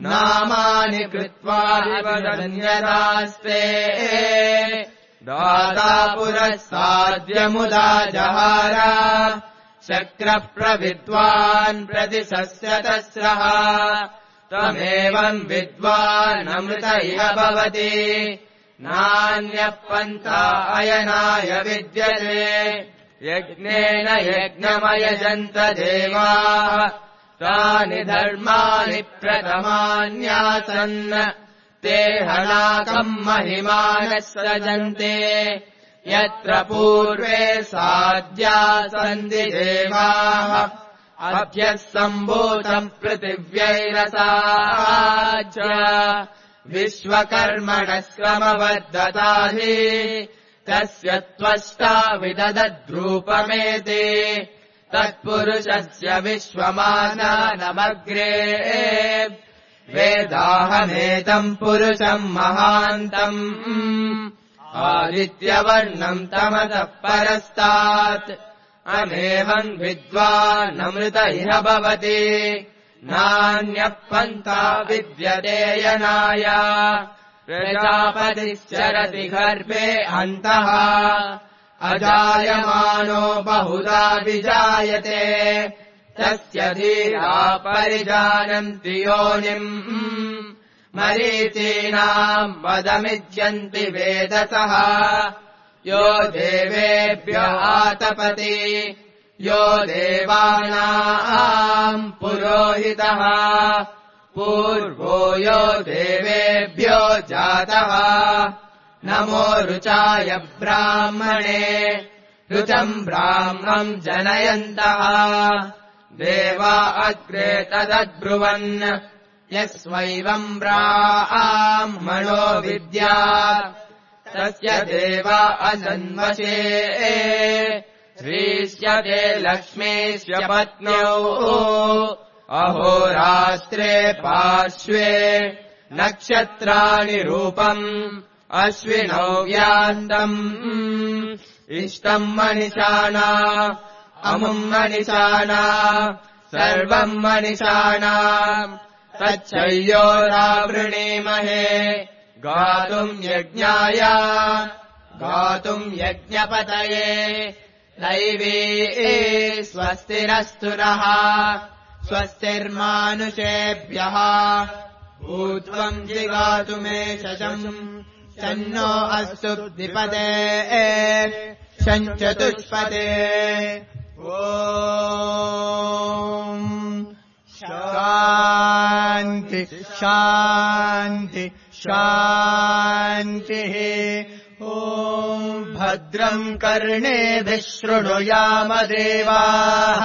नामानि कृत्वा वदन्यदास्ते दाता पुरः साध्यमुदा जहार शक्रः प्रविद्वान् प्रतिशस्यतस्रः त्वमेवम् विद्वानमृत इह भवति नान्यः पन्था अयनाय विद्यते यज्ञेन यज्ञमयजन्त देवाः तानि धर्माणि प्रथमान्यासन् ते हनाकम् महिमानः सृजन्ते यत्र पूर्वे साध्या सन्ति देवाः अभ्यः सम्भूतम् पृथिव्यैरसाज्य विश्वकर्मणः समवर्धताहि तस्य त्वष्टा विदधद्रूपमेति तत्पुरुषस्य विश्वमानानमग्रे वेदाहमेतम् पुरुषम् महान्तम् आदित्यवर्णम् तमसः परस्तात् अमेवम् विद्वानमृत इह भवति नान्यः पन्था विद्यते यनाय प्रजापतिश्चरति गर्भे अन्तः अजायमानो बहुधा विजायते तस्य धीरा परिजानन्ति योनिम् मरीचीनाम् वदमिज्यन्ति वेदसः यो देवेभ्य आतपति यो देवानाम् पुरोहितः पूर्वो यो देवेभ्यो जातः नमो ऋचाय ब्राह्मणे ऋचम् ब्राह्मम् जनयन्तः देवा अग्रे तदब्रुवन् यस्वैवम् ब्राह्मणो विद्यात् तस्य देवा असन्वशे श्रीष्यते लक्ष्मीस्य पत्न्यौ अहोरात्रे पार्श्वे नक्षत्राणि रूपम् अश्विनौ व्यान्तम् इष्टम् मनिषाणा अमुम् मनिषाणा सर्वम् मनिषाणा तच्छय्योरावृणीमहे गातुम् यज्ञाय गातुम् यज्ञपतये दैवी स्वस्तिरस्तु नः स्वस्तिर्मानुषेभ्यः ऊर्ध्वम् जिगातु मे शशम् शन्नो अस्तु द्विपदे शञ्चतुष्पदे ॐ शान्ति शान्ति शान्तिः ॐ भद्रम् कर्णेभिः शृणुयाम देवाः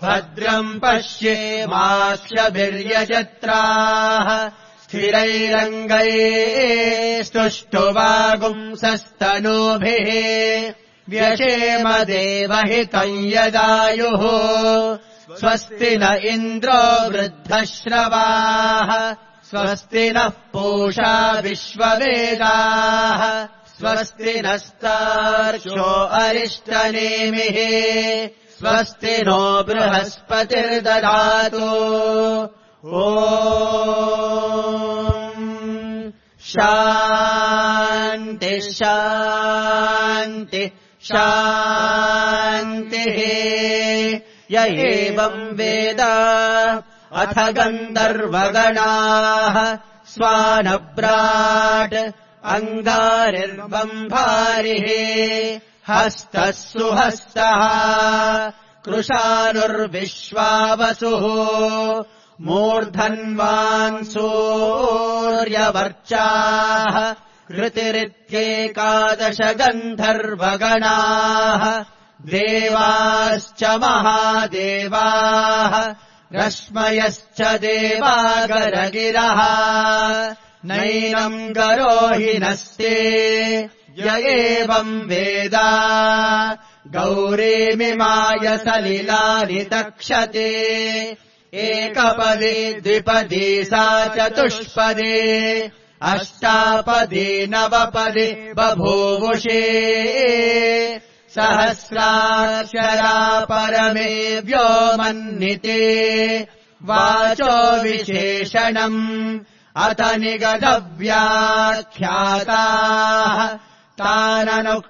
भद्रम् पश्येमाक्षभिर्यजत्राः स्थिरैरङ्गैः स्तुष्टुवागुंसस्तनूभिः व्यशेम देवहितम् यदायुः स्वस्ति न इन्द्रो वृद्धश्रवाः स्वस्ति नः पूषा विश्ववेदाः स्वस्ति नस्तार्क्ष्यो अरिष्टनेमिः स्वस्ति नो बृहस्पतिर्दधातु ॐ शान्ति शान्ति शान्तिः य एवम् वेद अथ गन्धर्वगणाः स्वानभ्राट् अङ्गारिर्बम्भारिः हस्तः सुहस्तः कृशानुर्विश्वावसुः मूर्धन्वान् सूर्यवर्चाः कृतिरित्येकादश गन्धर्वगणाः देवाश्च महादेवाः रश्मयश्च देवागरगिरः नैनम् गरोहिनस्ते य एवम् वेद गौरीमिमाय सलिलानि तक्षते एकपदी द्विपदी सा चतुष्पदी अष्टापदी नवपदी बभूवुषे सहस्राक्षरा परमे व्योमन्निते वाचो विशेषणम् अथ निगदव्याख्याताः ताननुक्रमिष्यामः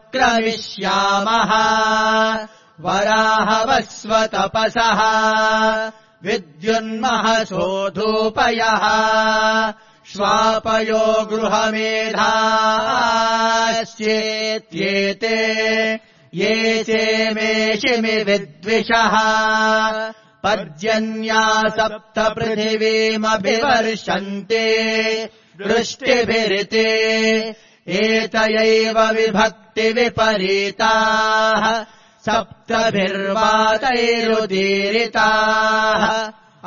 वराहवस्वतपसः विद्युन्महसोधूपयः श्वापयो गृहमेधाश्चेत्येते ये चेमेषिमि विद्विषः पर्जन्या सप्त पृथिवीमभिवर्षन्ते वृष्टिभिरिते एतयैव विभक्तिविपरीताः सप्तभिर्वातैरुदीरिताः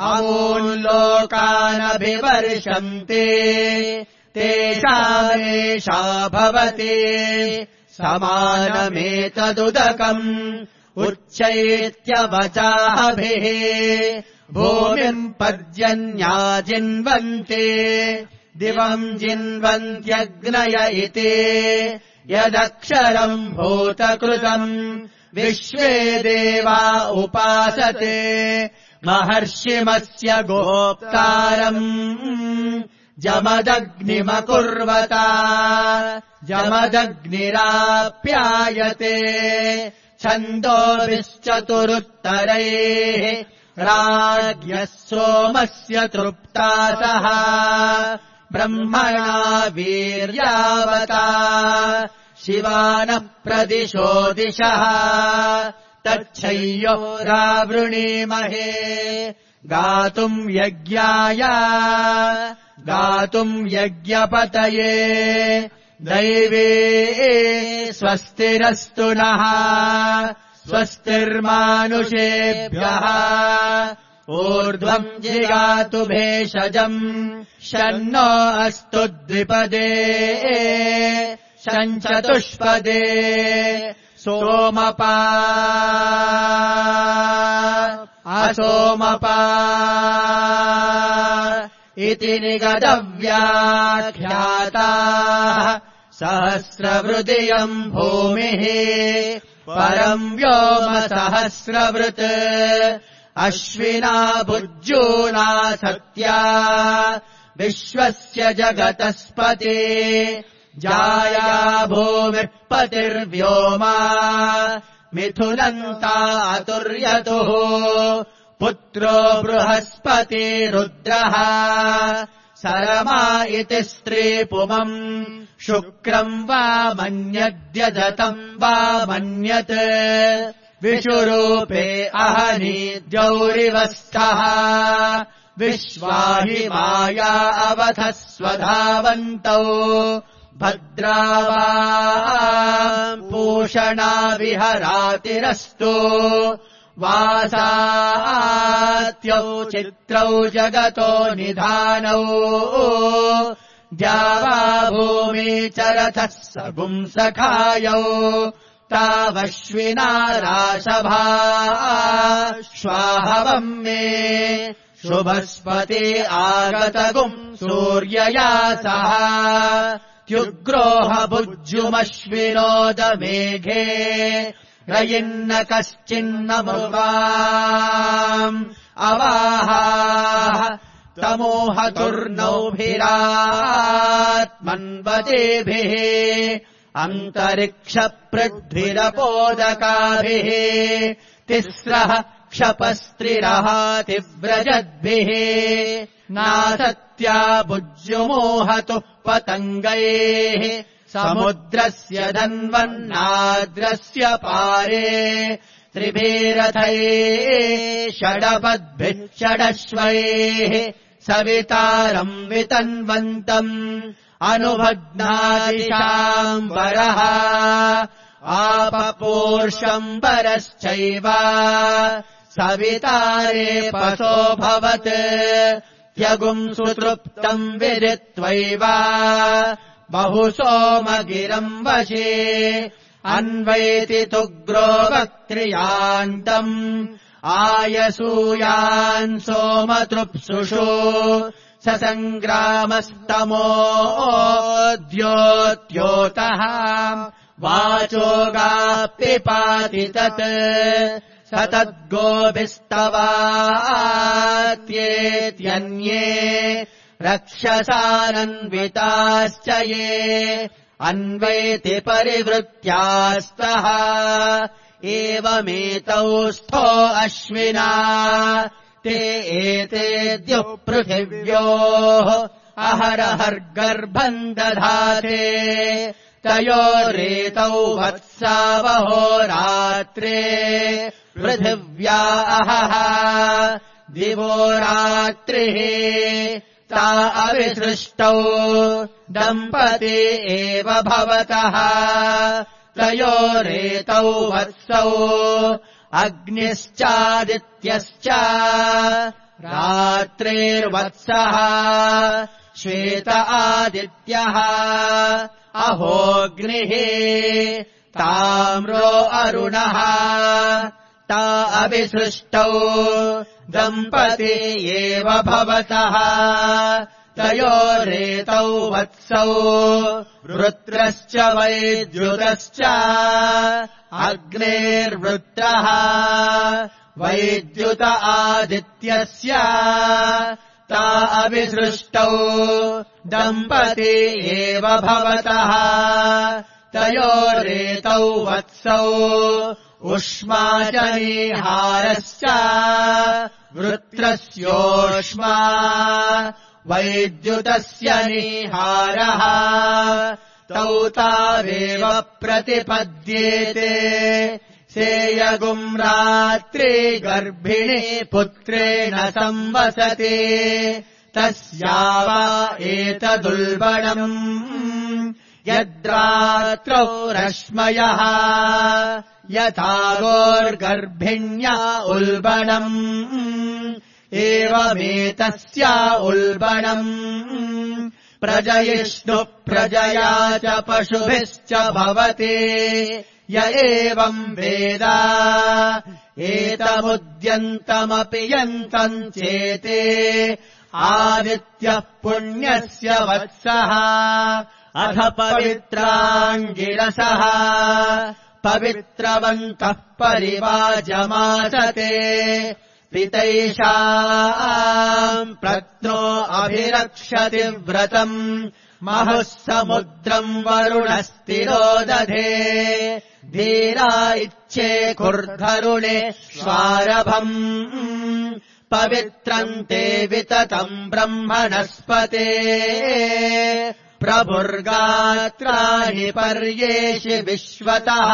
अमूल्लोकानभिवर्षन्ते तेषामेषा भवति समानमेतदुदकम् उच्चैत्यवचाभिः भूमिम् पर्जन्या जिन्वन्ते दिवम् जिन्वन्त्यग्नय इति यदक्षरम् भूतकृतम् विश्वे देवा उपासते महर्षिमस्य गोप्तारम् जमदग्निमकुर्वता जमदग्निराप्यायते छन्दोभिश्चतुरुत्तरैः राज्ञः सोमस्य तृप्तासः ब्रह्मणा वीर्यावता शिवानः प्रदिशो दिशः तच्छय्योरावृणीमहे गातुम् यज्ञाय गातुम् यज्ञपतये दैवे स्वस्तिरस्तु नः स्वस्तिर्मानुषेभ्यः ऊर्ध्वम् जिगातु भेषजम् शन्नो अस्तु द्विपदे शञ्चतुष्पदे सोमपा असोमपा इति निगदव्याख्याता सहस्रवृदियम् भूमिः परम् व्योम सहस्रवृत् अश्विना भुज्यूना सत्या विश्वस्य जगतस्पते जाया भूमिः पतिर्व्योमा मिथुनन्ता अतुर्यतुः पुत्रो बृहस्पति रुद्रः सरमा इति स्त्रीपुमम् शुक्रम् वा मन्यद्यदतम् वा मन्यत् विषुरूपे अहनि द्यौरिवस्थः विश्वाहि माया अवधः स्वधावन्तौ भद्रावा पूषणा विहरातिरस्तु वासात्यौ चित्रौ जगतो निधानौ द्यावा भूमि चरथः सपुंसखायौ तावश्विना राशभा श्वाहवम् मे शुभस्पति आगतगुम् सूर्यया सह त्युग्रोह भुज्युमश्विनोदमेघे रयिन्न कश्चिन्नमुवाम् अवाहा तमोहतुर्नौभिरात्मन्वतेभिः अन्तरिक्षपृथ्विरपोदकाभिः तिस्रः क्षपस्त्रिरहातिव्रजद्भिः नासत्या भुज्युमोहतु पतङ्गैः समुद्रस्य धन्वन्नाद्रस्य पारे त्रिभिरथैः षडपद्भिः षडश्वैः सवितारम् वितन्वन्तम् अनुभग्नादिशाम्बरः आपपूर्षम्बरश्चैव सवितारे पशोऽभवत् त्यगुम् सुतृप्तम् विदित्वैव बहुसोमगिरम् वशे अन्वैति तुग्रो वक्त्रियान्तम् आयसूयान् सोमतृप्सुषु ससङ्ग्रामस्तमोऽद्योत्योतः वाचोगाप्यपाति तत् स तद्गोभिस्तवात्येत्यन्ये रक्षसानन्विताश्च ये अन्वैति परिवृत्यास्तः एवमेतौ स्थो अश्विना ते एतेद्युः पृथिव्योः अहरहर्गर्भम् दधाते तयोरेतौ वत्सावहो रात्रे पृथिव्या अहः दिवो रात्रिः ता अविसृष्टौ दम्पती एव भवतः तयोरेतौ वत्सौ अग्निश्चादित्यश्च रात्रेर्वत्सः श्वेत आदित्यः अहोऽग्निः ताम्रो अरुणः ता अविसृष्टौ दम्पती एव भवतः तयोरेतौ वत्सौ वृत्रश्च वैद्युतश्च अग्नेर्वृत्रः वैद्युत आदित्यस्य ता अविसृष्टौ दम्पती एव भवतः तयोरेतौ वत्सौ उष्मा च नीहारश्च वृत्रस्योष्मा वैद्युतस्य नीहारः तौ तावेव प्रतिपद्येते सेयगुम् रात्रि गर्भिणी पुत्रेण संवसते तस्या वा एतदुल्बणम् यद्रात्रौ रश्मयः यथा गोर्गर्भिण्या उल्बणम् एवमेतस्या उल्बणम् प्रजयिष्णुः प्रजया च पशुभिश्च भवति य एवम् वेद एतमुद्यन्तमपि यन्तम् चेते आदित्यः पुण्यस्य वत्सः अथ पवित्राङ्गिरसः पवित्रवन्तः परिवाजमासते पितैषाम् प्रत्नो अभिरक्षति व्रतम् महुः समुद्रम् वरुणस्तिरो दधे धीरा इच्छे कुर्धरुणे स्वारभम् पवित्रम् ते विततम् ब्रह्मणस्पते प्रभुर्गात्राणि पर्येषि विश्वतः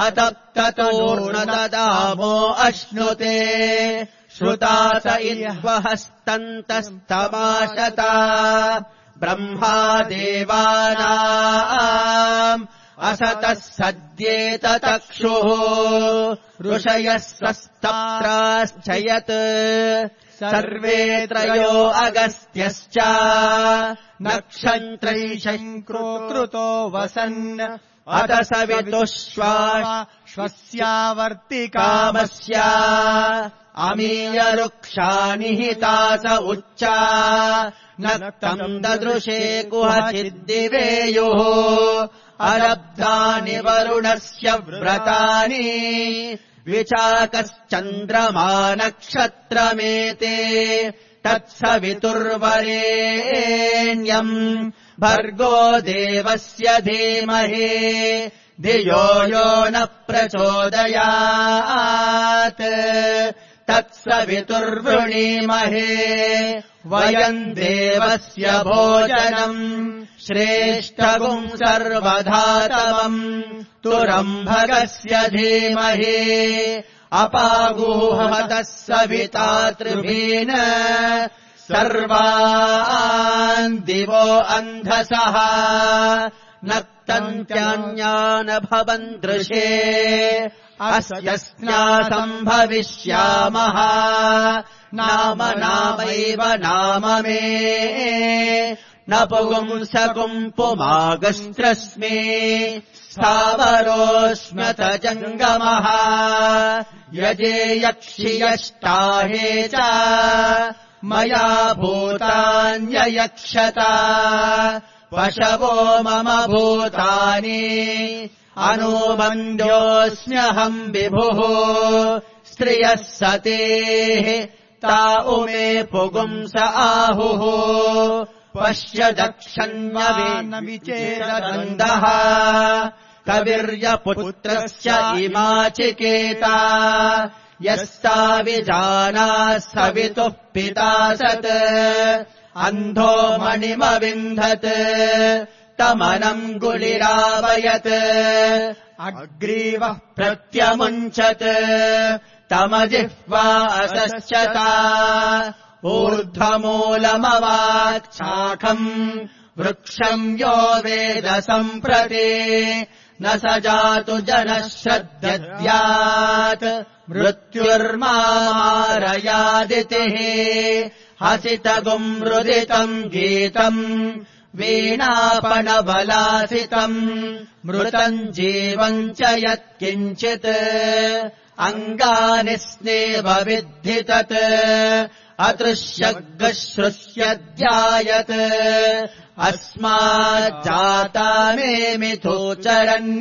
अतप्ततोर्णददामो अश्नुते श्रुतास इह्वहस्तन्तस्तमाशता ब्रह्मा देवानाम् असतः सद्येततक्षुः ऋषयः सस्ताश्चयत् सर्वे त्रयो अगस्त्यश्च नक्षत्रैशङ्कृतो वसन् अथ सवितुष्वाश्वस्यावर्तिकामस्य अमीयरुक्षाणि हितास उच्चा नक्तम् ददृशे कुहचिद्दिवेयुः अरब्धानि वरुणस्य व्रतानि विचाकश्चन्द्रमा नक्षत्रमेते तत्सवितुर्वरेण्यम् भर्गो देवस्य धीमहि धियो यो न प्रचोदयात् तत्सवितुर्वृणीमहे वयम् देवस्य भोजनम् श्रेष्ठगुम् सर्वधातमम् तुरम्भगस्य धीमहि अपागूहमतः सवितातृभीन् सर्वान् दिवो अन्धसः नक्तन्त्यान्यान् भवन् दृशे अस्यस्मासम् भविष्यामः नाम नामैव नाम मे न पुंसकुम् पुमागस्त्रस्मि स्थावरोऽस्म्यथ जङ्गमः यजे यक्षि यष्टाहे च मया भूतान्ययक्षता पशवो मम भूतानि अनुमन्द्योऽस्म्यहम् विभुः स्त्रियः सतेः ता उमे पुगुंस आहुः पश्य दक्षन्विचेदन्दः कविर्यपुत्रस्य इमाचिकेता यस्ता विजानाः सवितुः पिता सत् अन्धो मणिमविन्धत् तमनम् गुलिरावयत् अग्रीवः प्रत्यमुञ्चत् तमजिह्वा असस्यता ऊर्ध्वमूलमवाच्छाखम् वृक्षम् यो वेद सम्प्रति न स जातु जनः श्रद्दद्यात् मृत्युर्मारयादितिः हसितगुम् रुदितम् गीतम् वीणापणबलासितम् मृतम् जीवम् च यत्किञ्चित् अङ्गानि स्नेव विद्धि तत् अदृश्यग्श्रुष्यध्यायत् अस्माज्जाता मे मिथोचरन्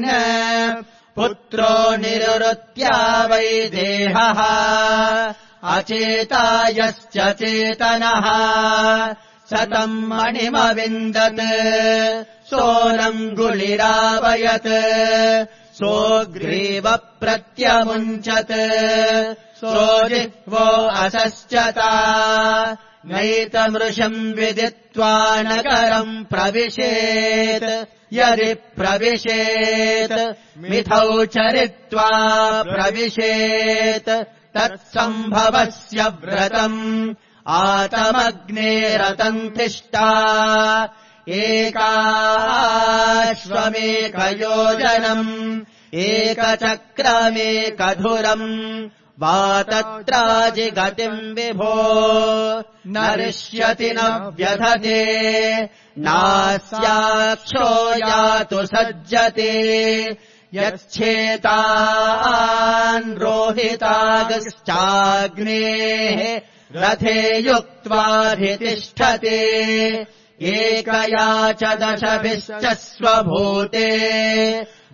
पुत्रो निरुत्या वै देहः अचेतायश्च चेतनः सतम् मणिमविन्दत् सोनम् गुलिरावयत् सोऽग्रीव प्रत्यमुञ्चत् सोजिह्वो असस्यता नैतमृषम् विदित्वा नगरम् प्रविशेत् यदि प्रविशेत् मिथौ चरित्वा प्रविशेत् तत्सम्भवस्य व्रतम् आतमग्नेरतन्तिष्ठा एकाश्वमेकयोजनम् एकचक्रमेकधुरम् वा तत्राजिगतिम् विभो न रिष्यति न व्यधते नास्याक्षो यातु सज्जते यच्छेतान् रोहितागश्चाग्नेः रथे युक्त्वाधितिष्ठते एकया च दशभिश्च स्वभूते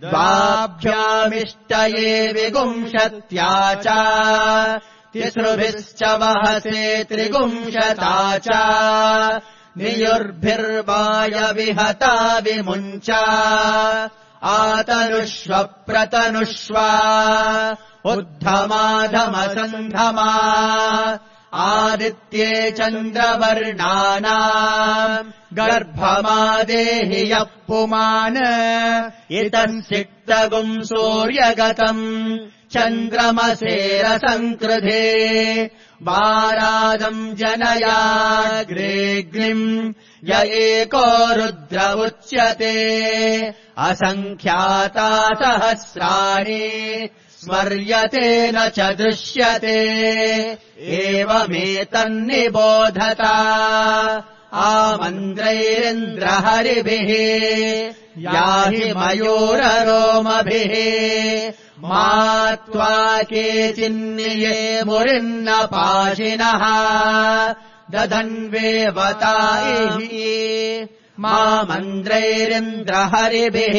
द्वाभ्यामिष्टये विगुंशत्या च तिसृभिश्च वहसे त्रिगुंशता च नियुर्भिर्वायविहता विमुञ्च आतनुष्व प्रतनुष्व उद्धमाधमसन्धमा आदित्ये चन्द्रवर्णानाम् गर्भमादेहि यः पुमान् इतम् सिक्तगुम् सूर्यगतम् चन्द्रमसेरसङ्कृधे वारादम् जनयाग्रेऽग्निम् य एको रुद्र उच्यते असङ्ख्याता सहस्राणि स्मर्यते न च दृश्यते एवमेतन्निबोधता आमन्द्रैरिन्द्रहरिभिः याहि मयूररोमभिः मा त्वा केचिन्निये मुरिन्न पाशिनः दधन्वेवतायैः मामन्द्रैरिन्द्रहरिभिः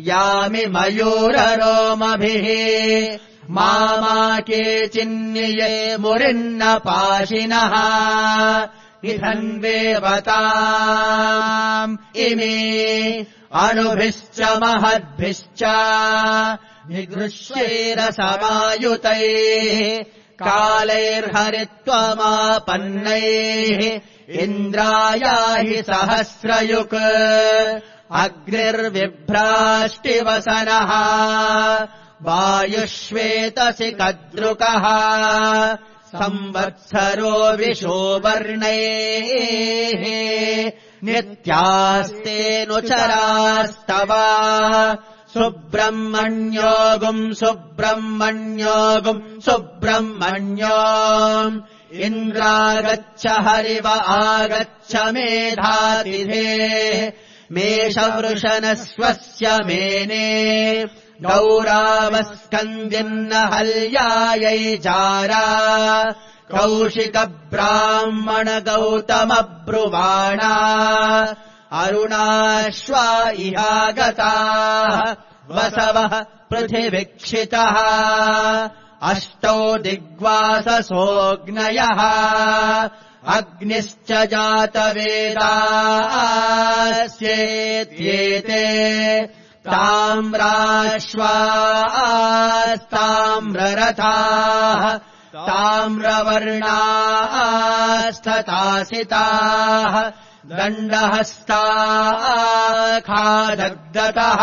यामि मयूररोमभिः मा मा केचिन्निये मुरिन्न पाशिनः निधन्वेवताम् इमे अणुभिश्च महद्भिश्च निगृह्यैरसमायुतैः कालैर्हरित्वमापन्नैः इन्द्रायाहि सहस्रयुक् अग्निर्विभ्राष्टिवसनः वायुष्वेतसि कद्रुकः संवत्सरो विशोवर्णैः नित्यास्तेऽनुचरास्तव सुब्रह्मण्योऽगुम् सुब्रह्मण्योऽगुम् सुब्रह्मण्यो इन्द्रागच्छ हरिव आगच्छ मेधातिथे मेषवृषणस्वस्य मेने गौरावस्कन्दिन्न हल्यायै जारा कौशिकब्राह्मण गौतमब्रुवाणा अरुणाश्वा इहागताः वसवः पृथिवीक्षितः अष्टौ दिग्वाससोऽग्नयः अग्निश्च जातवेदास्येत्येते ताम्राश्वास्ताम्ररथाः ताम्रवर्णास्तथासिताः दण्डहस्ताखादग्धतः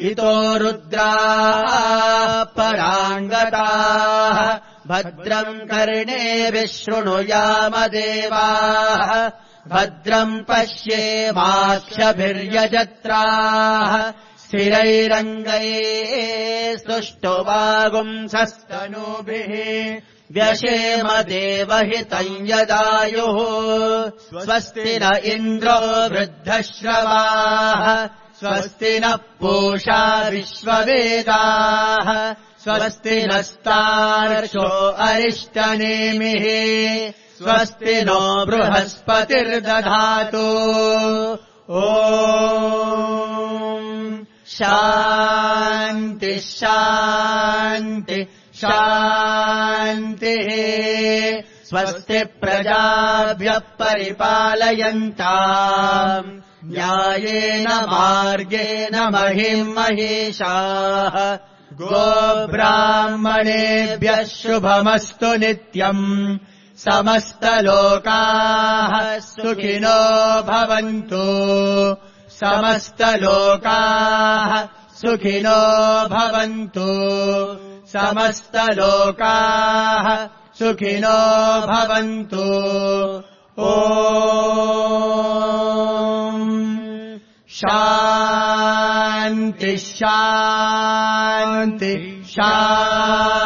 इतो रुद्राः पराङ्गताः भद्रम् कर्णेभिः शृणुयाम देवाः भद्रम् पश्येमाक्षभिर्यजत्राः स्थिरैरङ्गैः सुष्ठुवागुंसस्तनूभिः व्यशेम देवहितम् यदायुः स्वस्ति न इन्द्रो वृद्धश्रवाः स्वस्ति नः पूषा विश्ववेदाः स्वस्ति नस्तार्क्ष्यो अरिष्टनेमिः स्वस्ति नो बृहस्पतिर्दधातु ॐ शान्ति शान्ति शान्तिः स्वस्ति प्रजाभ्यः परिपालयन्ताम् न्यायेन मार्गेण महिम् महिषाः गोब्राह्मणेभ्यः शुभमस्तु नित्यम् समस्तलोकाः सुखिनो भवन्तु समस्तलोकाः सुखिनो भवन्तु समस्तलोकाः सुखिनो भवन्तु ॐ शान्ति शान्ति शान्ति